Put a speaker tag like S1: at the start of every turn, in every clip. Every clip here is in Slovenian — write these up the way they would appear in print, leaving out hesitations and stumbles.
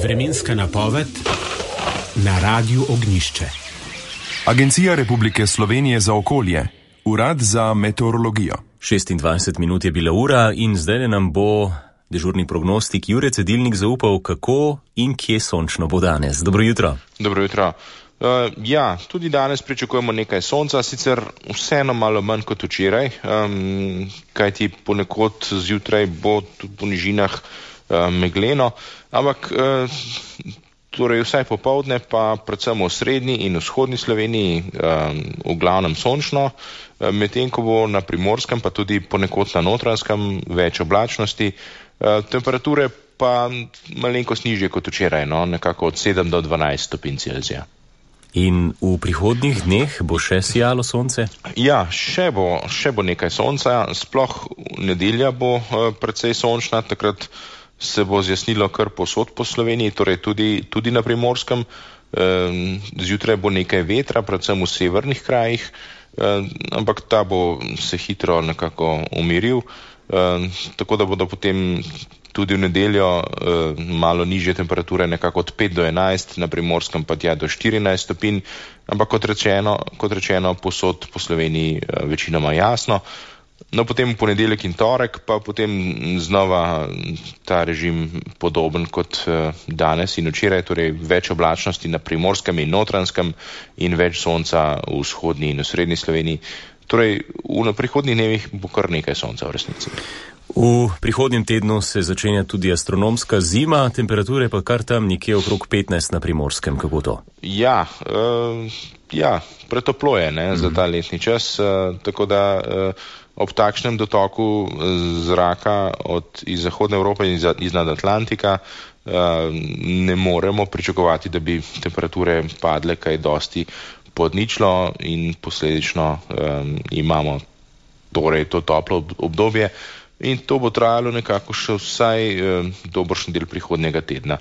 S1: Vremenska napoved na Radiu Ognjišče.
S2: Agencija Republike Slovenije za okolje, Urad za meteorologijo.
S3: 26 minut je bila ura in zdaj nam bo dežurni prognostik Jure Cedilnik zaupal, kako in kje sončno bo danes. Dobro jutro.
S4: Dobro jutro. Tudi danes pričakujemo nekaj sonca, sicer vseeno malo manj kot včeraj, kajti ponekod zjutraj bo tudi po nižinah megleno, ampak torej vsaj popoldne pa predvsem v srednji in vzhodni Sloveniji v glavnem sončno, medtem ko bo na Primorskem pa tudi ponekod na Notranjskem več oblačnosti, temperature pa malenkost nižje kot včeraj, nekako od 7 do 12 stopinj Celzija.
S3: In v prihodnjih dneh bo še sijalo sonce? Ja,
S4: še bo nekaj sonca, sploh nedelja bo precej sončna, takrat se bo zjasnilo kar povsod po Sloveniji, torej tudi na Primorskem. Zjutraj bo nekaj vetra, predvsem v severnih krajih, ampak ta bo se hitro nekako umiril, tako da bodo potem tudi v nedeljo malo nižje temperature, nekako od 5 do 11, na Primorskem pa tja do 14 stopinj, ampak kot rečeno povsod po Sloveniji večinoma jasno. No, potem v ponedeljek in torek pa potem znova ta režim podoben kot danes in včeraj, torej več oblačnosti na Primorskem in Notranjskem in več sonca v vzhodni in v srednji Sloveniji. Torej v prihodnjih dnevih bo kar nekaj sonca v resnici.
S3: V prihodnjem tednu se začenja tudi astronomska zima, temperature pa kar tam nekje okrog 15 na Primorskem. Kako to?
S4: Ja, pretoplo je za ta letni čas, tako da ob takšnem dotoku zraka iz Zahodne Evrope in iznad Atlantika ne moremo pričakovati, da bi temperature padle kaj dosti pod ničlo in posledično imamo torej to toplo obdobje in to bo trajalo nekako še vsaj dobršen del prihodnjega tedna.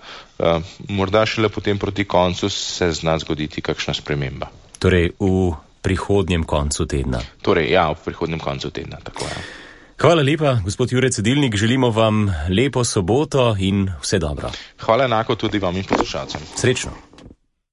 S4: Morda šele potem proti koncu se zna zgoditi kakšna sprememba.
S3: Torej v prihodnjem koncu tedna.
S4: Torej, v prihodnjem koncu tedna, tako je.
S3: Hvala lepa, gospod Jure Cedilnik, želimo vam lepo soboto in vse dobro.
S4: Hvala enako tudi vam in poslušalcem.
S3: Srečno.